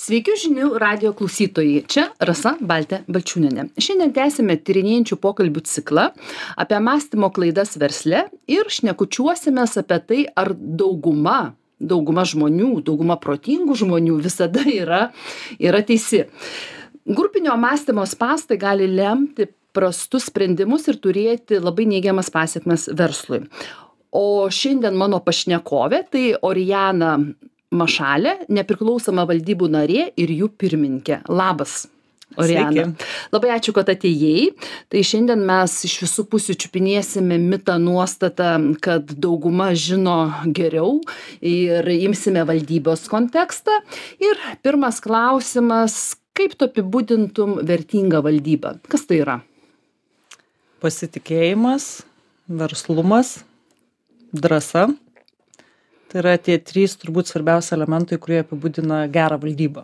Sveiki žinių radio klausytojai. Čia Rasa Baltė Balčiūnienė. Šiandien tęsime tyrinėjančių pokalbių ciklą apie mąstymo klaidas versle ir šnekučiuosimės apie tai, ar dauguma žmonių, dauguma protingų žmonių visada yra teisi. Grupinio mąstymo spąstai gali lemti prastus sprendimus ir turėti labai neigiamas pasekmes verslui. O šiandien mano pašnekovė tai Orijana Mašalė, nepriklausoma valdybų narė ir jų pirmininkė. Labas, Orijana. Sveiki. Labai ačiū, kad atėjai. Tai šiandien mes iš visų pusių čiupinėsime mitą nuostatą, kad dauguma žino geriau ir imsime valdybos kontekstą. Ir pirmas klausimas, kaip tu apibūdintum vertingą valdybą? Kas tai yra? Pasitikėjimas, verslumas, drąsa. Tai yra tie trys turbūt svarbiausi elementai, kurie apibūdina gerą valdybą.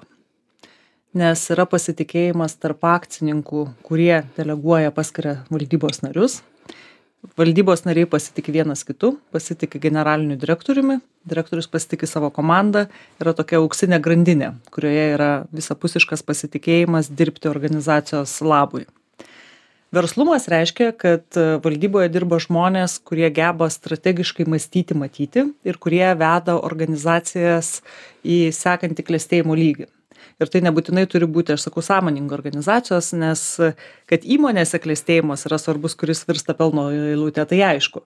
Nes yra pasitikėjimas tarp akcininkų, kurie deleguoja, paskiria valdybos narius. Valdybos nariai pasitikė vienas kitu, pasitikė generaliniu direktoriumi, direktorius pasitikė savo komandą, yra tokia auksinė grandinė, kurioje yra visapusiškas pasitikėjimas dirbti organizacijos labui. Verslumas reiškia, kad valdyboje dirba žmonės, kurie geba strategiškai mąstyti, matyti ir kurie veda organizacijas į sekantį klestėjimo lygį. Ir tai nebūtinai turi būti, aš sakau, sąmoningo organizacijos, nes kad įmonėse klestėjimas yra svarbus, kuris virsta pelno eilutė, tai aišku.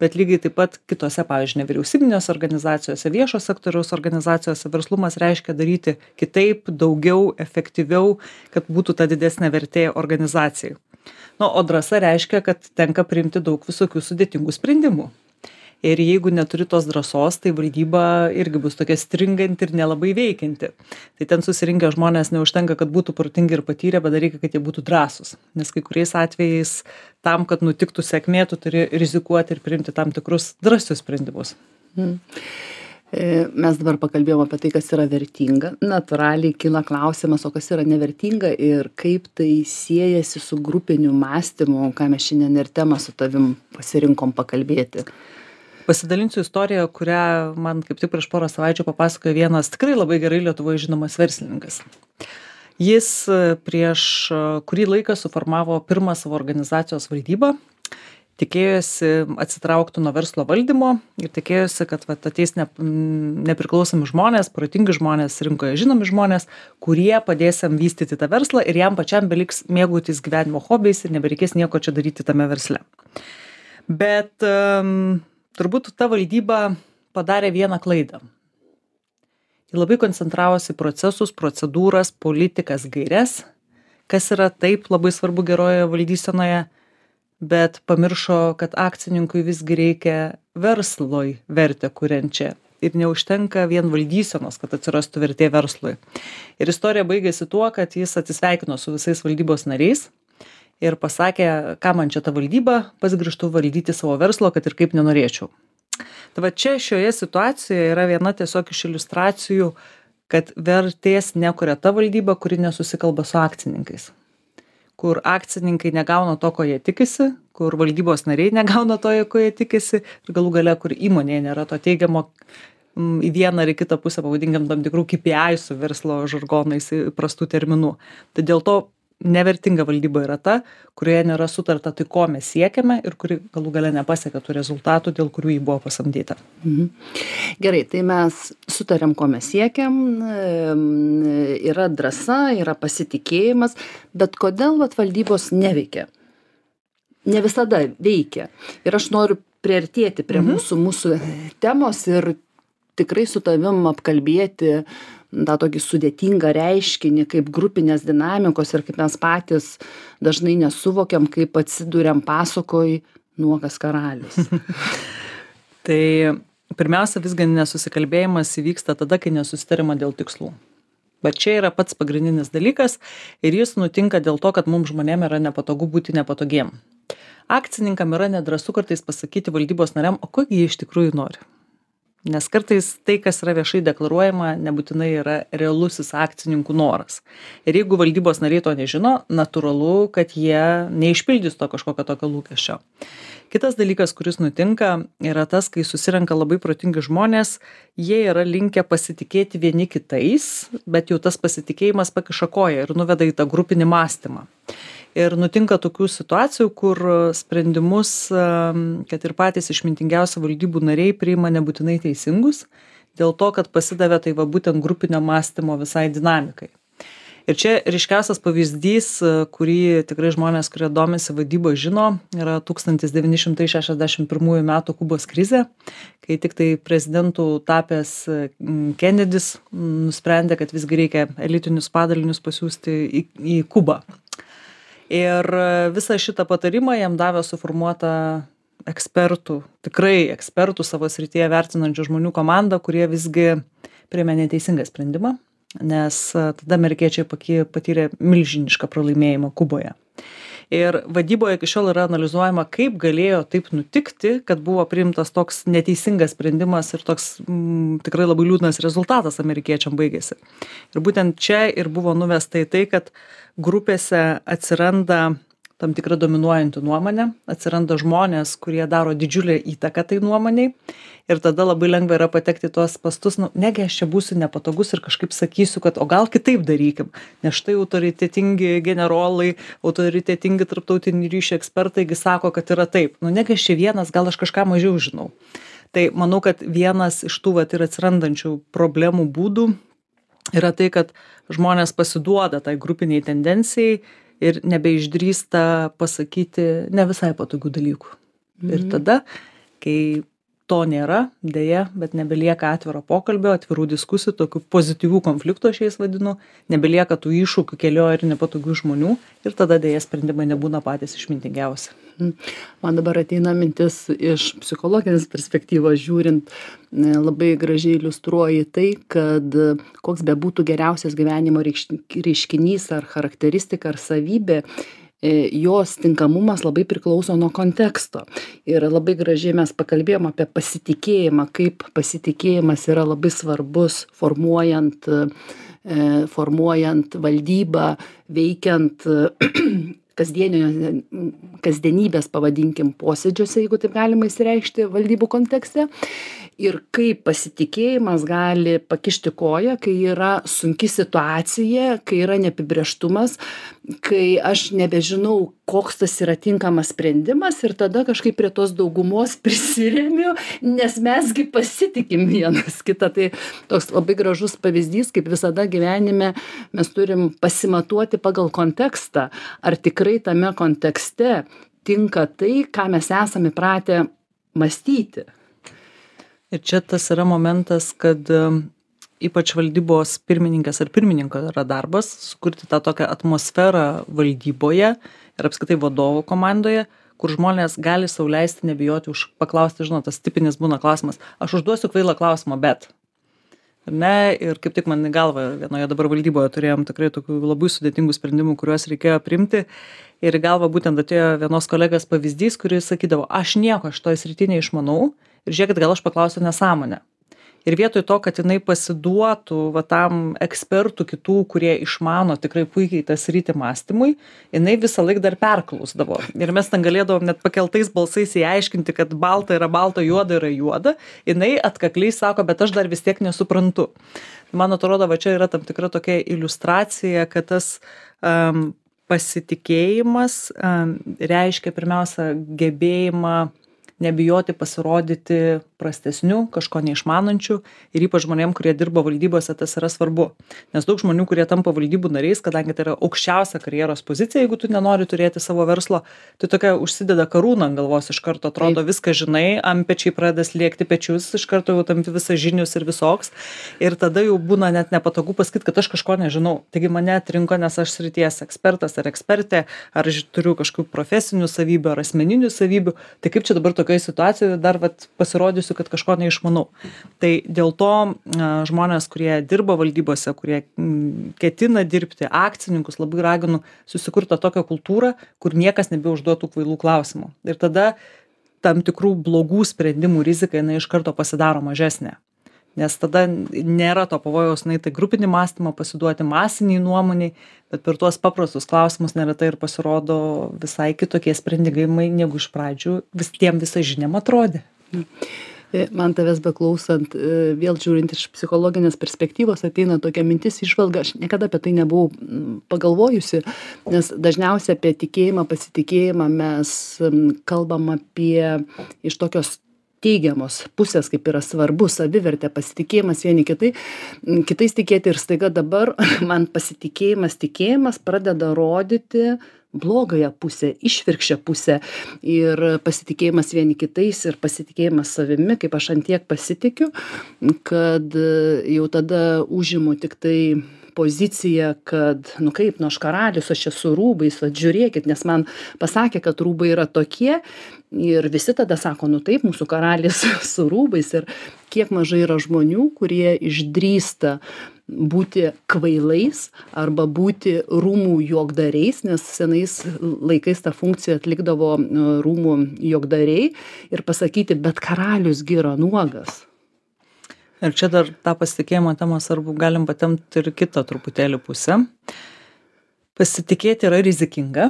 Bet lygiai taip pat kitose, pavyzdžiui, nevyriausybinėse organizacijose, viešo sektoriaus organizacijose verslumas reiškia daryti kitaip, daugiau, efektyviau, kad būtų ta didesnė vertė organizacijai. O drąsa reiškia, kad tenka priimti daug visokių sudėtingų sprendimų. Ir jeigu neturi tos drąsos, tai valdyba irgi bus tokia stringanti ir nelabai veikianti. Tai ten susirinkę žmonės neužtenka, kad būtų protingi ir patyrę, bet reikia, kad jie būtų drąsūs. Nes kai kuriais atvejais tam, kad nutiktų sėkmė, tu turi rizikuoti ir priimti tam tikrus drąsius sprendimus. Mes dabar pakalbėjome apie tai, kas yra vertinga. Natūraliai kyla klausimas, o kas yra nevertinga ir kaip tai siejasi su grupiniu mąstymu, ką mes šiandien ir temą su tavim pasirinkom pakalbėti. Pasidalinsiu istoriją, kurią man kaip tik prieš porą savaičių papasakojo vienas tikrai labai gerai Lietuvoje žinomas verslininkas. Jis prieš kurį laiką suformavo pirmą savo organizacijos valdybą, tikėjosi atsitraukti nuo verslo valdymo ir tikėjosi, kad ateis nepriklausomi žmonės, protingi žmonės, rinkoje žinomi žmonės, kurie padės jam vystyti tą verslą ir jam pačiam beliks mėgautis gyvenimo hobiais ir nebereikės nieko čia daryti tame versle. Bet turbūt ta valdyba padarė vieną klaidą. Ji labai koncentravosi procesus, procedūras, politikas, gaires, kas yra taip labai svarbu geroje valdysenoje, bet pamiršo, kad akcininkui visgi reikia verslui vertę kuriančią ir neužtenka vien valdysenos, kad atsirastų vertė verslui. Ir istorija baigėsi tuo, kad jis atsisveikino su visais valdybos nariais ir pasakė, ką man čia ta valdyba, pats grįžtu valdyti savo verslo, kad ir kaip nenorėčiau. Tai va čia šioje situacijoje yra viena tiesiog iš iliustracijų, kad vertės nekuria ta valdyba, kuri nesusikalba su akcininkais. Kur akcininkai negauna to, ko jie tikisi, kur valdybos nariai negauna to, ko jie tikisi ir galų gale, kur įmonėje nėra to teigiamo į vieną ar į kitą pusę, pavadinkim tam tikrų KPI su verslo žargonais įprastų terminų. Tai dėl to nevertinga valdyba yra ta, kurioje nėra sutarta tai, ko mes siekiame ir kuri galų gale nepasiekia tų rezultatų, dėl kurių jį buvo pasamdyta. Gerai, tai mes sutarėm, ko mes siekiam, yra drąsa, yra pasitikėjimas, bet kodėl valdybos neveikia? Ne visada veikia. Ir aš noriu priartėti prie mūsų temos ir tikrai su tavim apkalbėti tą tokį sudėtingą reiškinį kaip grupinės dinamikos ir kaip mes patys dažnai nesuvokiam, kaip atsiduriam pasakoj nuogas karalius. Tai pirmiausia, visgi nesusikalbėjimas įvyksta tada, kai nesusitarima dėl tikslų. Bet čia yra pats pagrindinis dalykas ir jis nutinka dėl to, kad mums žmonėm yra nepatogu būti nepatogiem. Akcininkam yra nedrąsu kartais pasakyti valdybos nariam, o ko jie iš tikrųjų nori. Nes kartais tai, kas yra viešai deklaruojama, nebūtinai yra realusis akcininkų noras. Ir jeigu valdybos nariai to nežino, natūralu, kad jie neišpildys to kažkokio tokio lūkesčio. Kitas dalykas, kuris nutinka, yra tas, kai susirenka labai protingi žmonės, jie yra linkę pasitikėti vieni kitais, bet jau tas pasitikėjimas pakiša koją ir nuveda į tą grupinį mąstymą. Ir nutinka tokių situacijų, kur sprendimus, kad ir patys išmintingiausi valdybų nariai priima nebūtinai teisingus, dėl to, kad pasidavė tai va būtent grupinio mąstymo visai dinamikai. Ir čia ryškiausias pavyzdys, kurį tikrai žmonės, kurie domisi vadyba, žino, yra 1961 metų Kubos krizė, kai tik tai prezidentų tapęs Kennedys nusprendė, kad visgi reikia elitinius padalinius pasiųsti į Kubą. Ir visą šitą patarimą jam davė suformuota ekspertų, tikrai ekspertų savo srityje vertinančių žmonių komanda, kurie visgi priėmė neteisingą sprendimą, nes tada amerikiečiai patyrė milžinišką pralaimėjimą Kuboje. Ir vadyboje iki šiol yra analizuojama, kaip galėjo taip nutikti, kad buvo priimtas toks neteisingas sprendimas ir toks tikrai labai liūdnas rezultatas amerikiečiam baigėsi. Ir būtent čia ir buvo nuvesta į tai, kad grupėse atsiranda tam tikra dominuojanti nuomonė, atsiranda žmonės, kurie daro didžiulę įtaką tai nuomoniai ir tada labai lengva yra patekti tuos pastus, negi aš čia būsiu nepatogus ir kažkaip sakysiu, kad o gal kitaip darykim, nes štai autoritetingi generolai, autoritetingi tarptautinių ryšių ekspertaigi sako, kad yra taip, negi aš čia vienas, gal aš kažką mažiau žinau. Tai manau, kad vienas iš tų ir atsirandančių problemų būdų yra tai, kad žmonės pasiduoda tai grupiniai tendencijai ir nebeišdrįsta pasakyti ne visai patogių dalykų. Ir tada, kai to nėra, dėja, bet nebelieka atviro pokalbio, atvirų diskusijų, tokių pozityvių konfliktų aš jais vadinu, nebelieka tų iššūkių kelio ir nepatogių žmonių ir tada dėja sprendimai nebūna patys išmintingiausi. Man dabar ateina mintis iš psichologinės perspektyvos žiūrint, labai gražiai iliustruoja tai, kad koks bebūtų geriausias gyvenimo reiškinys ar charakteristika ar savybė, jos tinkamumas labai priklauso nuo konteksto. Ir labai gražiai mes pakalbėjom apie pasitikėjimą, kaip pasitikėjimas yra labai svarbus formuojant valdybą, veikiant kasdienybės, pavadinkim, posėdžiuose, jeigu taip galima įsireikšti valdybų kontekste. Ir kaip pasitikėjimas gali pakišti koją, kai yra sunki situacija, kai yra neapibrėžtumas, kai aš nebežinau, koks tas yra tinkamas sprendimas ir tada kažkaip prie tos daugumos prisiremiu, nes mesgi pasitikim vienas kitą. Tai toks labai gražus pavyzdys, kaip visada gyvenime mes turim pasimatuoti pagal kontekstą, ar tikrai tame kontekste tinka tai, ką mes esame įpratę mąstyti. Ir čia tas yra momentas, kad ypač valdybos pirmininkas ar pirmininko yra darbas sukurti tą tokią atmosferą valdyboje ir apskritai vadovų komandoje, kur žmonės gali sau leisti nebijoti paklausti, tas tipinis būna klausimas, aš užduosiu kvailą klausimą, bet. Ir kaip tik man į galvą vienoje dabar valdyboje turėjom tikrai tokių labai sudėtingų sprendimų, kuriuos reikėjo priimti. Ir į galvą būtent atėjo vienos kolegės pavyzdys, kuris sakydavo, aš nieko šitoj srity neišmanau ir žiūrėkit, gal aš paklausiu nesąmonę. Ir vietoj to, kad jinai pasiduotų tam ekspertų kitų, kurie išmano tikrai puikiai tą sritį mąstymui, jinai visą laiką dar perklausdavo. Ir mes ten galėdavom net pakeltais balsais įaiškinti, kad balta yra balta, juoda yra juoda. Jinai atkakliai sako, bet aš dar vis tiek nesuprantu. Man atrodo, va čia yra tam tikra tokia iliustracija, kad tas pasitikėjimas reiškia pirmiausia gebėjimą nebijoti pasirodyti prastesniu, kažko neišmanančiu ir ypač žmonėm, kurie dirba valdybose, tas yra svarbu. Nes daug žmonių, kurie tampa valdybų nariais, kadangi tai yra aukščiausia karjeros pozicija, jeigu tu nenori turėti savo verslo, tai tokia užsideda karūną ant galvos, iš karto atrodo viską žinai, antpečiai pradeda slėgti pečius, iš karto jau tampi visas žinius ir visoks. Ir tada jau būna net nepatogu pasakyti, kad aš kažko nežinau. Taigi mane atrinko, nes aš srities ekspertas ar ekspertė, ar turiu kažkokių profesinių savybių ar asmeninių savybių. Tai kaip čia dabar tokioje situacijoje dar pasirodysiu, kad kažko neišmanau. Tai dėl to žmonės, kurie dirba valdybose, kurie ketina dirbti, akcininkus, labai raginu susikurti tokią kultūrą, kur niekas nebeužduotų kvailų klausimų. Ir tada tam tikrų blogų sprendimų rizika jinai iš karto pasidaro mažesnė. Nes tada nėra to pavojaus, tai grupinį mąstymą pasiduoti masiniai nuomoniai, bet per tuos paprastus klausimus neretai ir pasirodo visai kitokie sprendimai, negu iš pradžių visą žiniam atrodė. Man tavęs beklausant, vėl žiūrint iš psichologinės perspektyvos, ateina tokia mintis, išvalga, aš niekada apie tai nebuvau pagalvojusi, nes dažniausiai apie tikėjimą, pasitikėjimą mes kalbam apie iš tokios teigiamos pusės, kaip yra svarbu, savivertė, pasitikėjimas vieni kitais tikėti ir staiga dabar man tikėjimas pradeda rodyti blogąją pusę, išvirkščią pusę ir pasitikėjimas vieni kitais ir pasitikėjimas savimi, kaip aš ant tiek pasitikiu, kad jau tada užimu tik tai poziciją, kad, kaip, aš karalius, aš esu rūbais, žiūrėkit, nes man pasakė, kad rūbai yra tokie ir visi tada sako, taip, mūsų karalis su rūbais ir kiek mažai yra žmonių, kurie išdrįsta būti kvailais arba būti rūmų juokdariais, nes senais laikais tą funkciją atlikdavo rūmų juokdariai ir pasakyti, bet karalius gi yra nuogas. Ir čia dar tą pasitikėjimo temą svarbu galim patemti ir kitą truputėlį pusę. Pasitikėti yra rizikinga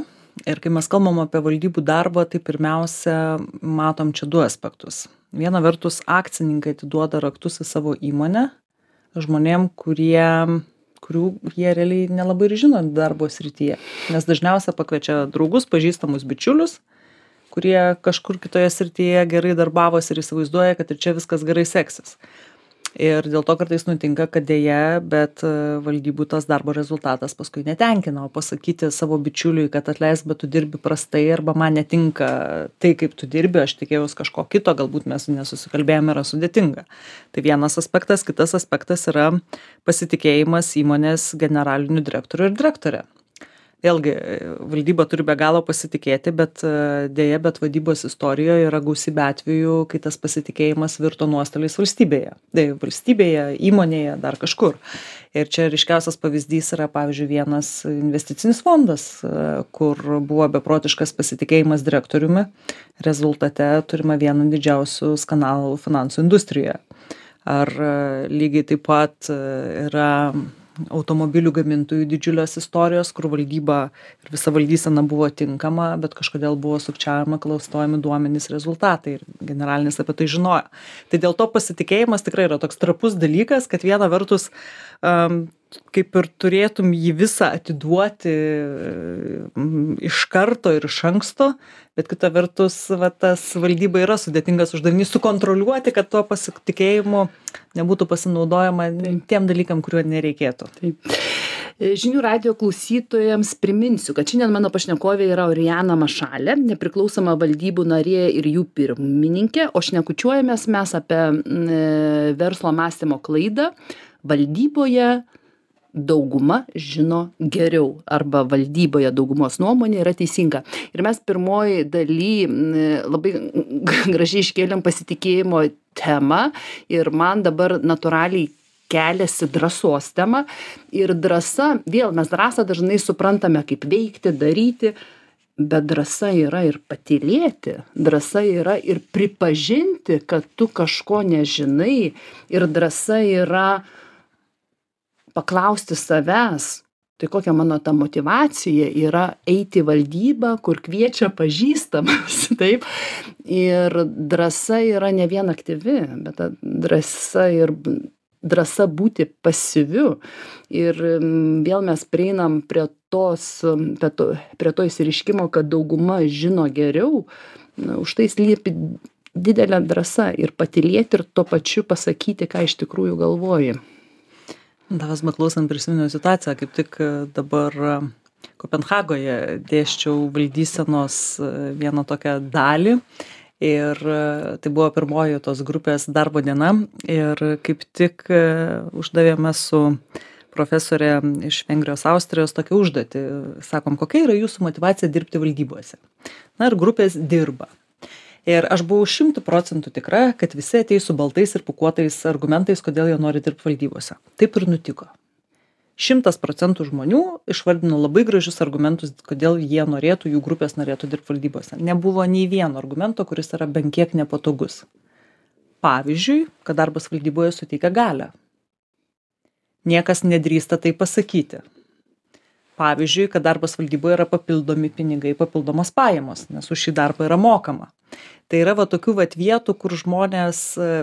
ir kai mes kalbam apie valdybų darbą, tai pirmiausia matom čia du aspektus. Viena vertus, akcininkai atiduoda raktus į savo įmonę žmonėm, kurių jie realiai nelabai ir žino darbo srityje. Nes dažniausiai pakviečia draugus, pažįstamus bičiulius, kurie kažkur kitoje srityje gerai darbavosi ir įsivaizduoja, kad ir čia viskas gerai seksis. Ir dėl to kartais nutinka, kad dėja, bet valdybų tas darbo rezultatas paskui netenkina, o pasakyti savo bičiuliui, kad atleisk, bet tu dirbi prastai arba man netinka tai, kaip tu dirbi, aš tikėjaus kažko kito, galbūt mes nesusikalbėjome, yra sudėtinga. Tai vienas aspektas, kitas aspektas yra pasitikėjimas įmonės generaliniu direktoriu ir direktorė. Vėlgi, valdyba turi be galo pasitikėti, bet dėja, bet vadybos istorijoje yra gausybė atvejų, kai tas pasitikėjimas virto nuostoliais valstybėje. Valstybėje, įmonėje, dar kažkur. Ir čia ryškiausias pavyzdys yra, pavyzdžiui, vienas investicinis fondas, kur buvo beprotiškas pasitikėjimas direktoriumi. Rezultate turime vieną didžiausių skandalų finansų industrijoje. Ar lygiai taip pat yra automobilių gamintojų didžiulės istorijos, kur valdyba ir visa valdysena buvo tinkama, bet kažkodėl buvo sukčiavimo, klastojami duomenys, rezultatai ir generalinis apie tai žinojo. Tai dėl to pasitikėjimas tikrai yra toks trapus dalykas, kad viena vertus kaip ir turėtum jį visą atiduoti iš karto ir iš anksto, bet kita vertus tas valdyba yra sudėtingas uždavinys sukontroliuoti, kad tuo pasitikėjimu nebūtų pasinaudojama tiem dalykam, kuriuo nereikėtų. Taip. Žinių radijo klausytojams priminsiu, kad šiandien mano pašnekovė yra Orijana Mašalė, nepriklausoma valdybų narė ir jų pirmininkė, o šnekučiuojamės mes apie verslo mąstymo klaidą. Valdyboje dauguma žino geriau arba valdyboje daugumos nuomonė yra teisinga. Ir mes pirmoji daly labai gražiai iškėlėm pasitikėjimo temą ir man dabar natūraliai keliasi drąsos tema. Ir drąsa, vėl mes drąsą dažnai suprantame kaip veikti, daryti, bet drąsa yra ir patylėti, drąsa yra ir pripažinti, kad tu kažko nežinai ir drąsa yra paklausti savęs, tai kokia mano ta motyvacija yra eiti į valdybą, kur kviečia pažįstamas, taip. Ir drąsa yra ne vien aktyvi, bet drąsa būti pasyviu. Ir vėl mes prieinam prie to išsireiškimo, kad dauguma žino geriau, už tai slypi didelė drąsa ir patylėti ir tuo pačiu pasakyti, ką iš tikrųjų galvoji. Tavęs beklausant prisiminiau situaciją, kaip tik dabar Kopenhagoje dėsčiau valdysenos vieną tokią dalį ir tai buvo pirmoji tos grupės darbo diena ir kaip tik uždavėme su profesorė iš Vengrijos, Austrijos tokią užduotį. Sakom, kokia yra jūsų motyvacija dirbti valdybose? Na ir grupės dirba. Ir aš buvau 100% tikra, kad visi ateis su baltais ir pūkuotais argumentais, kodėl jie nori dirbti valdybose. Taip ir nutiko. 100% žmonių išvardino labai gražius argumentus, kodėl jie norėtų, jų grupės norėtų dirbti valdybose. Nebuvo nei vieno argumento, kuris yra bent kiek nepatogus. Pavyzdžiui, kad darbas valdyboje suteikia galią. Niekas nedrįsta tai pasakyti. Pavyzdžiui, kad darbas valdyboje yra papildomi pinigai, papildomos pajamos, nes už šį darbą yra mokama. Tai yra tokių vietų, kur žmonės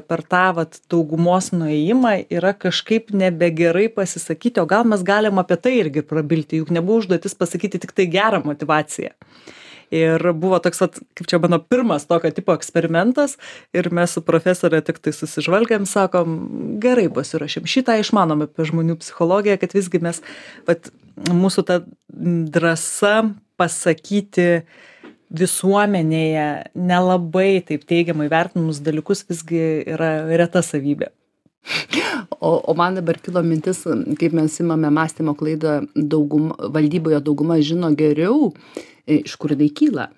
per tą daugumos nuėjimą yra kažkaip nebegerai pasisakyti, o gal mes galim apie tai irgi prabilti, juk nebuvo užduotis pasakyti tik tai gerą motivaciją. Ir buvo toks, kaip čia mano pirmas tokio tipo eksperimentas ir mes su profesorė tik tai susižvalgėm, sakom, gerai pasiruošėm, šitą išmanom apie žmonių psichologiją, kad visgi mes, mūsų ta drąsa pasakyti visuomenėje nelabai taip teigiamai vertinamus dalykus visgi yra reta savybė. O man dabar kilo mintis, kaip mes imame mąstymo klaidą, valdyboje dauguma žino geriau, iš kur tai kyla.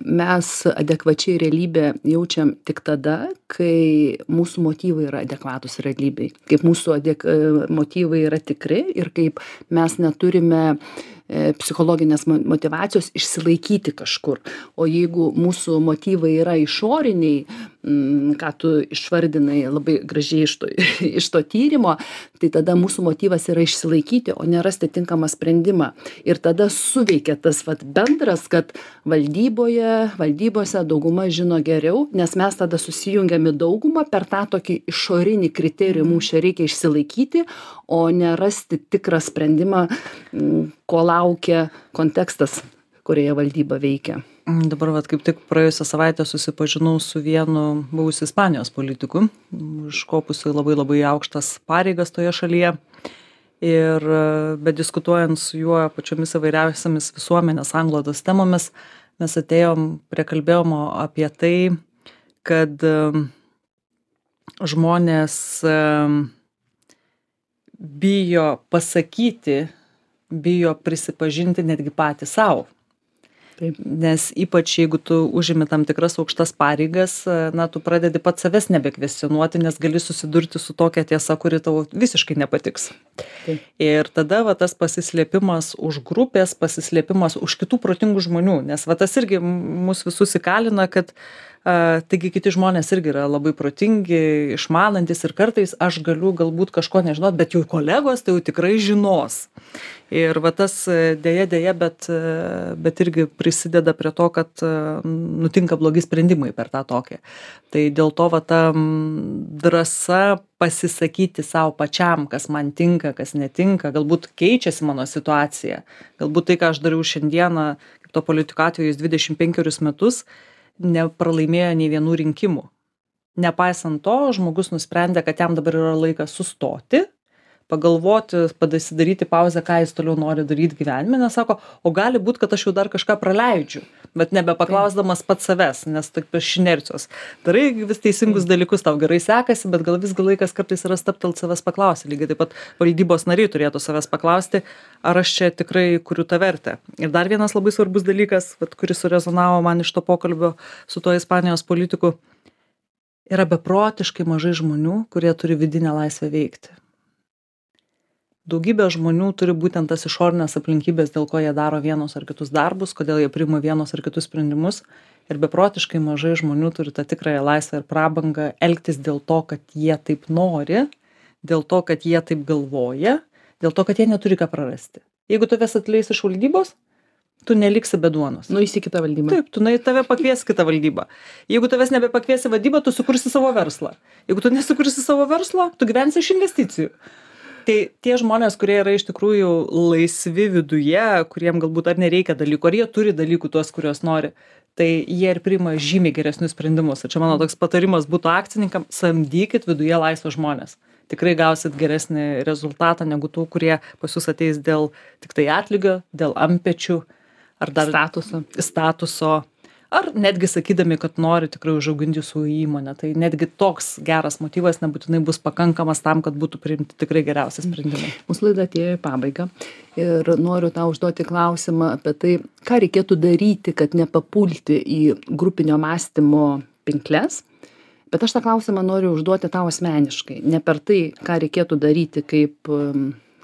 Mes adekvačiai realybę jaučiam tik tada, kai mūsų motyvai yra adekvatus realybei, kaip mūsų motyvai yra tikri ir kaip mes neturime psichologinės motyvacijos išsilaikyti kažkur. O jeigu mūsų motyvai yra išoriniai, ką tu išvardinai labai gražiai iš to tyrimo, tai tada mūsų motyvas yra išsilaikyti, o ne rasti tinkamą sprendimą. Ir tada suveikia tas bendras, kad valdybose dauguma žino geriau, nes mes tada susijungiam į daugumą per tą tokį išorinį kriterijų, mums čia reikia išsilaikyti, o ne rasti tikrą sprendimą, ko laukia kontekstas, kurioje valdyba veikia. Dabar kaip tik praėjusią savaitę susipažinau su vienu buvusiu Ispanijos politiku, užkopusiu labai aukštas pareigas toje šalyje. Ir bediskutuojant su juo pačiomis įvairiausiamis visuomenės anglodos temomis, mes kalbėjom apie tai, kad žmonės bijo pasakyti, bijo prisipažinti netgi patys savo. Taip. Nes ypač jeigu tu užimi tam tikras aukštas pareigas, tu pradedi pats savęs nebekvestionuoti, nes gali susidurti su tokia tiesa, kuri tau visiškai nepatiks. Taip. Ir tada tas pasislėpimas už grupės, pasislėpimas už kitų protingų žmonių, nes tas irgi mus visus įkalina, kad taigi kiti žmonės irgi yra labai protingi, išmanantis ir kartais aš galiu galbūt kažko nežinot, bet jau kolegos tai jau tikrai žinos. Ir tas dėja, bet irgi prisideda prie to, kad nutinka blogi sprendimai per tą tokį. Tai dėl to ta drąsa pasisakyti savo pačiam, kas man tinka, kas netinka, galbūt keičiasi mano situacija. Galbūt tai, ką aš dariau šiandieną, kaip to politiko atveju 25 metus, nepralaimėjo nei vienų rinkimų. Nepaisant to, žmogus nusprendė, kad jam dabar yra laikas sustoti, pagalvoti, pasidaryti pauzę, ką jis toliau nori daryti gyvenime, nes sako, o gali būti, kad aš jau dar kažką praleidžiu, bet nebepaklausdamas pats savęs, nes taip iš inercijos. Darai vis teisingus dalykus, tau gerai sekasi, bet gal visgi laikas kartais yra stabtelt savęs paklausti. Lygiai taip pat valdybos nariai turėtų savęs paklausti, ar aš čia tikrai kuriu tą vertę. Ir dar vienas labai svarbus dalykas, kuris surezonavo man iš to pokalbio su tuo Ispanijos politiku, yra beprotiškai mažai žmonių, kurie turi vidinę laisvę veikti. Daugybė žmonių turi būtent tas išorinės aplinkybės, dėl ko jie daro vienus ar kitus darbus, kodėl jie priima vienus ar kitus sprendimus. Ir beprotiškai mažai žmonių turi tą tikrąją laisvę ir prabangą elgtis dėl to, kad jie taip nori, dėl to, kad jie taip galvoja, dėl to, kad jie neturi ką prarasti. Jeigu tavęs atleis iš valdybos, tu neliksi be duonos. Nueisi į kitą valdybą. Taip, tu tave pakvies kitą valdybą. Jeigu tavęs nebepakviesi valdybą, tu sukursi savo verslą. Jeigu tu nesukursi savo verslo, tu gyvensi iš investicijų. Tai tie žmonės, kurie yra iš tikrųjų laisvi viduje, kuriem galbūt ar nereikia dalykų, ar jie turi dalykų tuos, kuriuos nori, tai jie ir priima žymiai geresnius sprendimus. Ir čia mano toks patarimas būtų akcininkam, samdykit viduje laisvus žmonės. Tikrai gausit geresnį rezultatą negu tų, kurie pas jūs ateis dėl tik tai atlygio, dėl antpečių ar dar statuso. Ar netgi sakydami, kad nori tikrai užauginti jūsų įmonę. Tai netgi toks geras motyvas nebūtinai bus pakankamas tam, kad būtų priimti tikrai geriausi sprendimai. Mūsų laida atėjo į pabaigą ir noriu tau užduoti klausimą apie tai, ką reikėtų daryti, kad nepapulti į grupinio mąstymo pinkles. Bet aš tą klausimą noriu užduoti tau asmeniškai. Ne per tai, ką reikėtų daryti kaip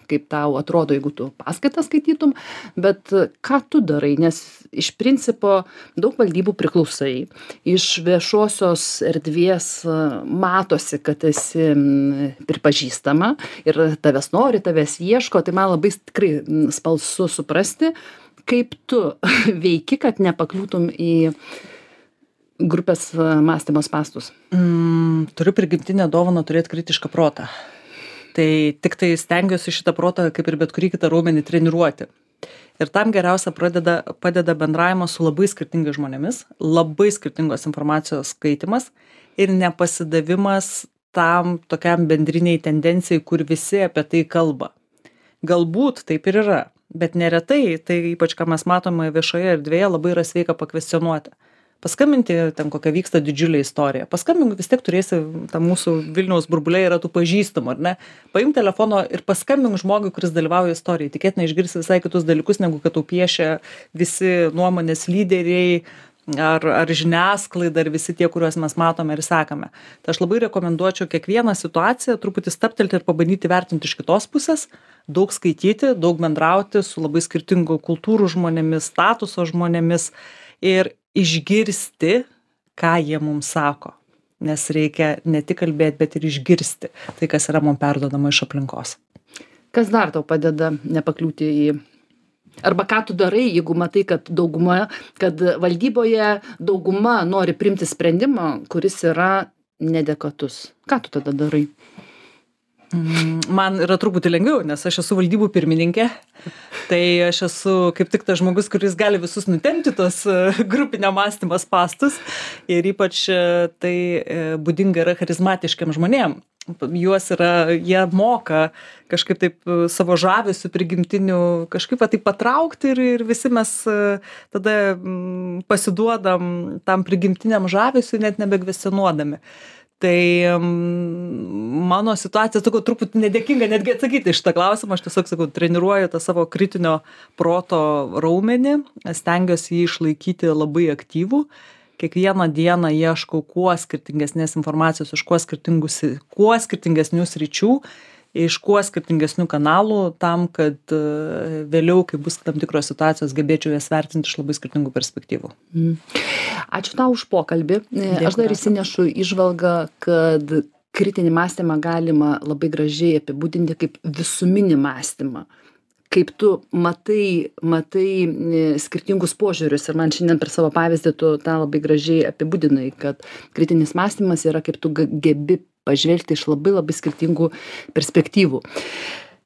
kaip tau atrodo, jeigu tu paskaitą skaitytum, bet ką tu darai, nes iš principo daug valdybų priklausai, iš viešosios erdvės matosi, kad esi pripažįstama ir tavęs nori, tavęs ieško, tai man labai tikrai smalsu suprasti, kaip tu veiki, kad nepakliūtum į grupės mąstymo spąstus. Turiu prigimtinę dovaną turėti kritišką protą. Tai tik tai stengiuosi šitą protą, kaip ir bet kurį kitą raumenį, treniruoti. Ir tam geriausia padeda bendravimas su labai skirtingais žmonėmis, labai skirtingos informacijos skaitimas ir nepasidavimas tam tokiam bendriniai tendencijai, kur visi apie tai kalba. Galbūt taip ir yra, bet neretai, tai ypač ką mes matome viešoje erdvėje, labai yra sveika pakvestionuoti. Paskambinti, ten kokia vyksta didžiulė istorija. Paskambink, vis tiek turėsi, tam mūsų Vilniaus burbulė yra tų pažįstamų, ar ne? Paimk telefono ir paskambink žmogui, kuris dalyvauja istorijai. Tikėtina išgirsi visai kitus dalykus, negu kad tau piešia visi nuomonės lyderiai ar žiniasklaida ir visi tie, kuriuos mes matome ir sekame. Tai aš labai rekomenduočiau kiekvieną situaciją truputį stabtelti ir pabandyti vertinti iš kitos pusės, daug skaityti, daug bendrauti su labai skirtingų kultūrų žmonėmis, statuso žmonėmis ir išgirsti, ką jie mums sako. Nes reikia ne tik kalbėti, bet ir išgirsti tai, kas yra mums perduodama iš aplinkos. Kas dar tau padeda nepakliūti į... Arba ką tu darai, jeigu matai, kad valdyboje dauguma nori priimti sprendimą, kuris yra nedekvatus. Ką tu tada darai? Man yra truputį lengviau, nes aš esu valdybų pirmininkė, tai aš esu kaip tik tas žmogus, kuris gali visus nutempti tos grupinio mąstymo spąstus ir ypač tai būdinga yra charizmatiškiam žmonėm. Jie moka kažkaip taip savo žavesiu prigimtiniu kažkaip taip patraukti ir visi mes tada pasiduodam tam prigimtiniam žavesiu net nebekvestionuodami. Tai mano situacija, sakau, truputį nedėkinga netgi atsakyti iš tą klausimą, aš tiesiog, sakau, treniruoju tą savo kritinio proto raumenį, stengiuosi jį išlaikyti labai aktyvų, kiekvieną dieną ieškau kuo skirtingesnės informacijos iš kuo skirtingesnių sričių, iš kuo skirtingesnių kanalų, tam, kad vėliau, kai bus tam tikros situacijos, gebėčiau jas vertinti iš labai skirtingų perspektyvų. Ačiū tau už pokalbį. Aš dar įsinešu įžvalgą, kad kritinį mąstymą galima labai gražiai apibūdinti kaip visuminį mąstymą. Kaip tu matai skirtingus požiūrius ir man šiandien per savo pavyzdį tu tą labai gražiai apibūdinai, kad kritinis mąstymas yra kaip tu gebi pažvelgti iš labai labai skirtingų perspektyvų.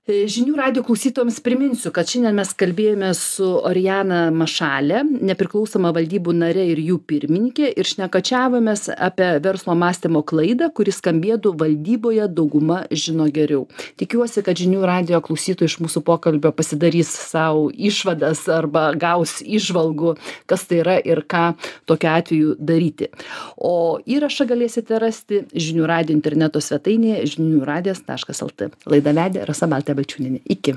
Žinių radijo klausytojams priminsiu, kad šiandien mes kalbėjome su Orijana Mašalė, nepriklausoma valdybų narė ir jų pirmininkė, ir šnekačiavomės apie verslo mąstymo klaidą, kuris skambėtų valdyboje dauguma žino geriau. Tikiuosi, kad žinių radijo klausytojai iš mūsų pokalbio pasidarys savo išvadas arba gaus įžvalgų, kas tai yra ir ką tokiu atveju daryti. O įrašą galėsite rasti žinių radijo interneto svetainėje žiniųradijas.lt. Laidą vedė Rasa Baltė Balčiūnienė. Iki.